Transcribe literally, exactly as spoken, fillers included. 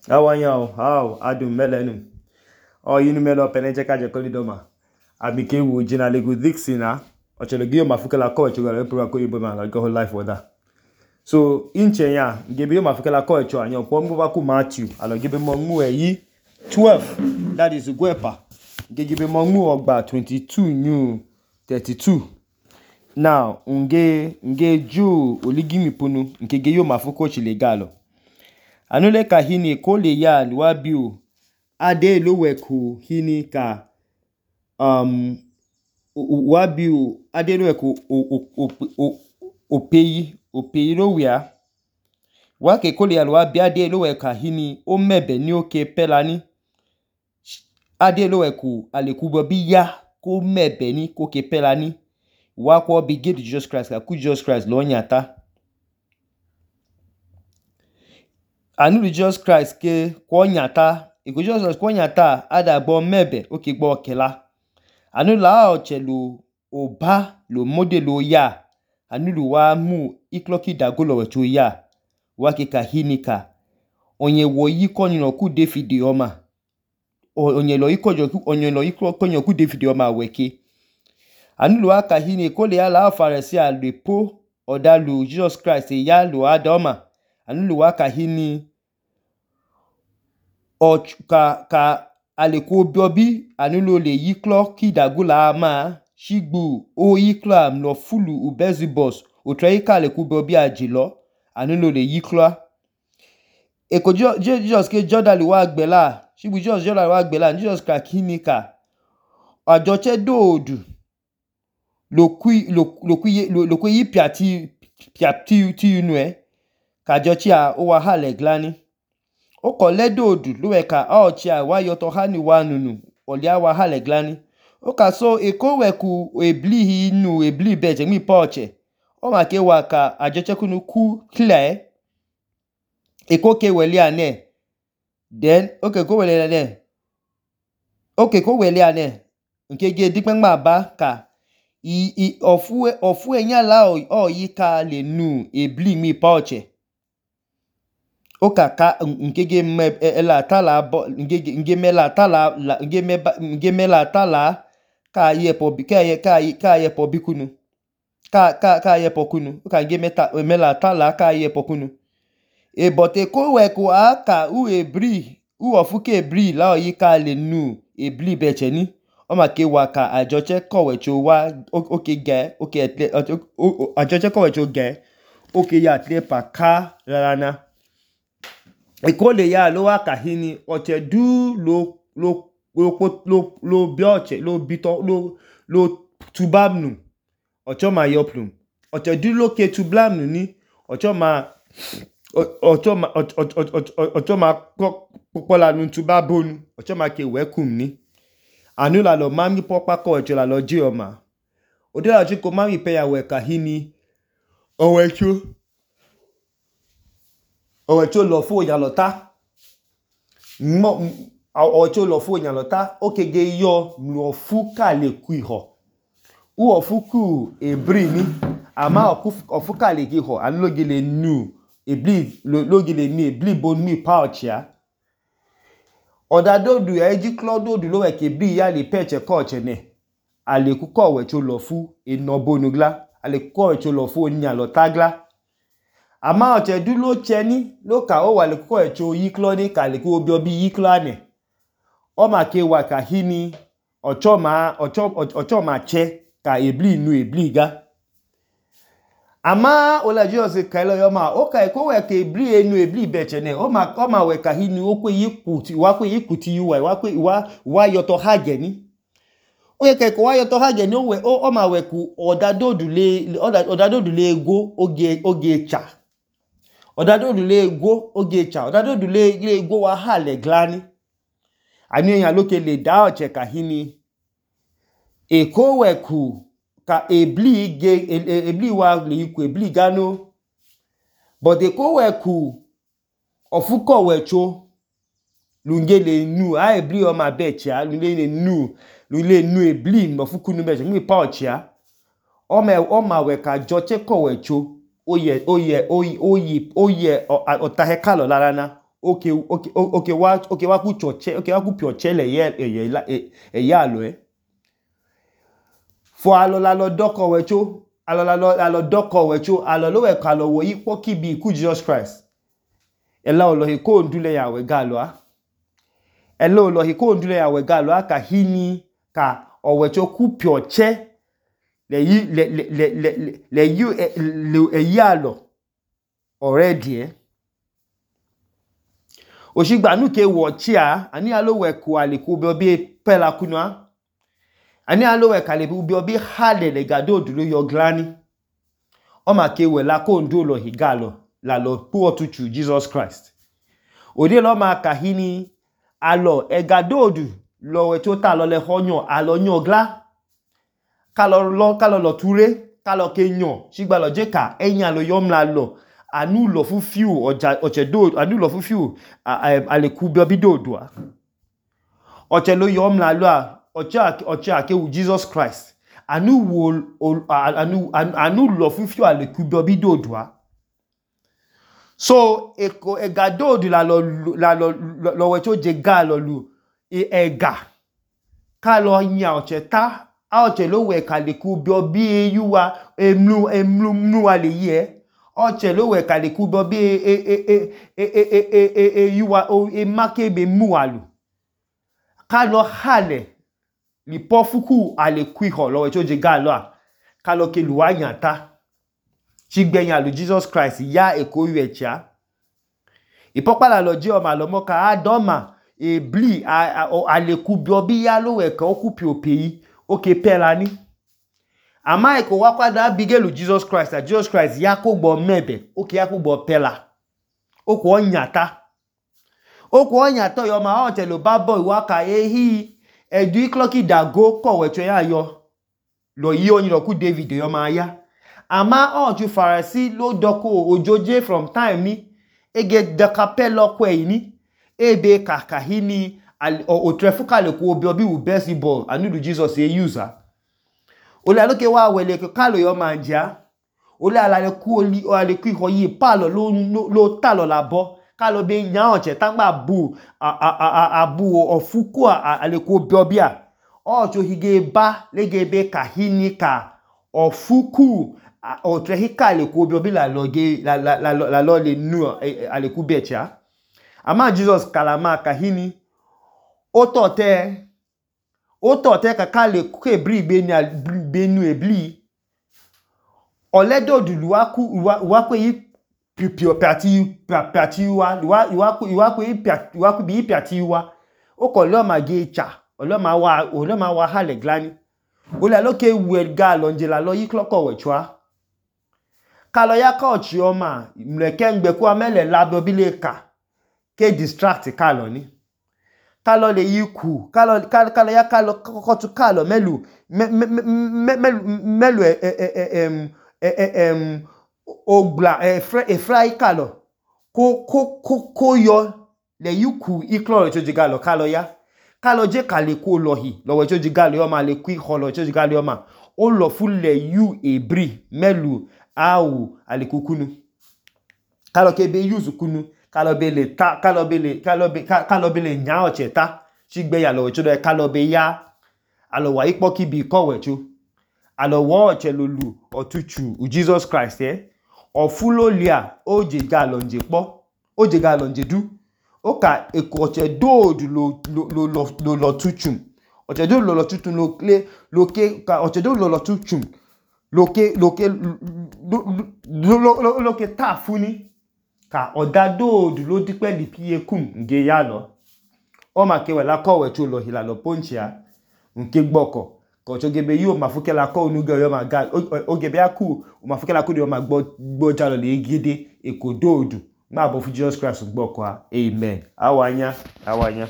Awanyao, how adum melenu. O yinu melo peneche kaje kolidoma. Abike wo jina lego dixina. Ochele giyo mafukela ko echo la pro ko yibo ma like whole life for that. So inche ya gebe yo mafukela ko echo anyo kwa mbu ku Matthew alo gebe mo mu eyi twelve, that is Ugwepa. Gebe mo mu ogba twenty-two new thirty-two. Now nge nge ju oligimi punu nke ge yo mafuko chile galo. Anule ka hini kole ya luabiu ade loweku hini ka um wabiu ade loweku opeyi opeyi lowia wake kole ya luabi ade loweka hini o mebe ni oke pelani ade loweku alekubo bi ya ko mebe ni ko ke pelani wako bi get Jesus Christ ka ku Jesus Christ lo nyata. Anu Jesus Christ ke kwa nyata iko Jesus Christ kwa nyata ada gbo mebe oke gbo kela anu la ochelu oba lo modelo ya anu lu wa mu ikloki dagolo wetu ya wake ka hinika onye wo yiko nyino ku David oma onye lo yiko jo onye lo yiko konyo ku David oma weke anu lu aka hini kole ya la farisi a lepo odalu Jesus Christ ya lu adoma anu lu aka hini o ka ka aleku biobi anu lo le yiklo ki dagula ama shigbu o yiklo am lo fulu ubezibos o tre ka aleku biobi ajilo anu lo le yiklo eko Jesus ke jodali wa gbela shigbu Jesus jodali wa gbela Jesus ka kinika ajoche dodu lo kui lo lo kui lo kui piati piati ti inu e ka jochi a o wa hale glani o ko ledodu lo we ka o chi a wa yoto hani wa nunu olia wa hale glani o ka so eko weku ebli hi nu ebli beje mi poche o ma ke wa ka ajoche kunu ku clear eko ke weli ane then okay ko weli ane okay ko weli ane nke ge dipen ma ba ka i i ofu ofu enya la o, o yika le nu ebli mi poche o ka ka nke ge me ela tala nke nge mela tala nge me nge mela tala ka ye po bi ka ye ka ka ye po bikunu ka ka ka ye po kunu o ka nge meta mela tala ka ye po kunu e bote ko we ko aka u ebri u ofu ke ebri la o yika le nu ebli beche ni o ma ke wa ka ajoche kowe cho wa oke ge oke ajoche kowe cho ge oke ya tle pa ka rarana eko le ya lo wa ka hini oche du lo lo lo lo lo bioche lo bito lo lo tubamnu ocho ma yoplum oche du lo ke tublamnu ni ocho ma ocho ma ocho ma popola nu tubabonu ocho ma ke wekum ni anu la lo mami popa ko echo la lo ji oma ode la ji ko mami pe ya we ka hini owecho owecho lo fu ya lota mo owecho lo fu ya lota okege yo lo fu ka le ku iho u ofu ku ebri ni ama ofu ka le ki ho anu lo gele nu ebli lo gele ni ebli bonu mi pouch ya odadodu ya eji klododu lo we ke bi ya le peche koche ne ale ku ko we cho lo fu enobonugla ale ku ko we cho lo fu nya lo tagla ama oche du lo cheni lo ka o wa le ku ko we cho yiklo ni ka le ku obi obi yiklo ane o ma ke wa ka hini ocho ma ocho ocho ma che ka ebli nu ebli ga ama ola Jesus ka lo yo ma o ka ko we ke ebli enu ebli beche ne o ma o ma we ka hini o kwe yikuti wa kwe yikuti yuwa wa kwe wa wa yoto hage ni o ye ke ko wa yoto hage ni o we o ma we ku odadodu le odadodu le ego oge oge cha odadodu le ego oge cha odadodu le le ego wa hale glani ani eyan loke le da oche ka hini eko we ku ka ebli ge ebli wa le iku ebli gano but eko we ku ofuko we cho lunge le nu a ebli o ma beche a lunge le nu lunge nu ebli mo fuku nu beche mi pouch ya o me o ma we ka joche ko we cho oye oye oye oye oye otahe kalo larana oke oke oke wa oke wa ku choche oke wa ku pioche le ye e ye alo e fo alo la lo doko wecho alo la lo alo doko wecho alo lo we ka lo wo yi po ki bi ku Jesus Christ ela o lo he ko ndule ya we galo a ela o lo he ko ndule ya we galo a ka hini ka o wecho ku pioche le yi le le le le le you le e ye alo already eh Oshigba nu ke wo chia ani alo we ku ale ku be obi pela kunwa ani alo we ka le bi obi hale le gado duro yo glani o ma ke we la ko ndo lo higalo la lo pu otuchu Jesus Christ odi lo ma ka hini alo e gado du lo we to ta lo le honyo alo nyo gla ka lo lo ka lo lo ture ka lo ke nyo Shigba lo je ka eyan lo yo mla lo anu lo fu fiu oja oche do anu lo fu fiu ale ku bi obi do do a oche lo yo mla lo a oche oche ake wu Jesus Christ anu wo anu anu lo fu fiu ale ku bi obi do do a so eko e gado du la lo la lo lo we to je ga lo lu e ega ka lo nya oche ta a oche lo we ka le ku bi obi yuwa emlu emlu mnu ale ye oche lo we ka le ku bi obi e e e e e e e yuwa o e make be mu alu ka lo hale li pofuku ale ku ho lo we to je ga lo a ka lo ke luwa yan ta Shigbeyan lu Jesus Christ ya eko yu echa ipopala lo je o ma lo mo ka adoma e bli ale ku bi obi ya lo we ka o ku pi opeyi o ke pela ni ama eko wa kwada bigelu Jesus Christ a Jesus Christ ya ko gbo mebe o ke ya ko gbo pela o ko nyata o ko nyata yo ma o te lo babo iwa ka ehi edu ikloki dago ko wecho ya yo lo yi oyin lo ku David yo ma ya ama o ju farasi lo doko ojoje from time ni ege de capello kwe ni ebe kaka hini o trefuka le ku obi obi u best ball anu du Jesus e user ole aloke wa wele ke kalo yo manja ole ala le ku oli o ale ku ho yi palo lo lo talo labo kalo be nya oche tangba bu abu ofuku ale ku obi obi a o cho hige ba lege be kahini ka ofuku o trehika le ku obi obi la loge la la la lo le nu ale ku becha ama Jesus kalama kahini o to te o to te ka kale ku ebri be ni benu ebli oledo du luwaku waku yi pipio pati pati wa luwaku luwaku yi luwaku bi pati wa o ko lo ma ge cha olo ma wa olo ma wa hale glani o la lo ke we ga lo nje la lo yi kloko we chwa kalo ya ka ochi o ma mleke ngbe ku amele labo bile ka ke distract kalo ni kalo le yiku kalo kalo ya kalo ko tu kalo melu melu em em ogla e fry kalo ko ko ko yo le yiku iklo to jigalo kalo ya kalo je kale ko lohi lo we to jigalo yo ma le ku holo to jigalo yo ma o lo fu le yu ebri melu au alikukunu kalo ke be use kunu kalo be le ta kalo be le kalo be kalo be le nya oche ta Shigbeyan lo wecho do kalo be ya alo wa ipo ki bi ko wecho alo wo oche lolu otuchu u Jesus Christ eh ofulo lia oje ga lo nje po oje ga lo nje du o ka eko oche do du lo lo lo lo lo tuchu oche do lo lo tuchu lo le lo ke ka oche do lo lo tuchu loke loke lo loke ta funi ka odado du lo dipe li pie kum nge ya lo o ma ke we la ko we cho lo hila lo ponchia nke gboko ko cho gebe yo ma fuke la ko nu ge yo ma ga o gebe aku o ma fuke la ko de yo ma gbo gbo jalo le gide ekododu ma bo fu Jesus Christ gboko a amen awanya awanya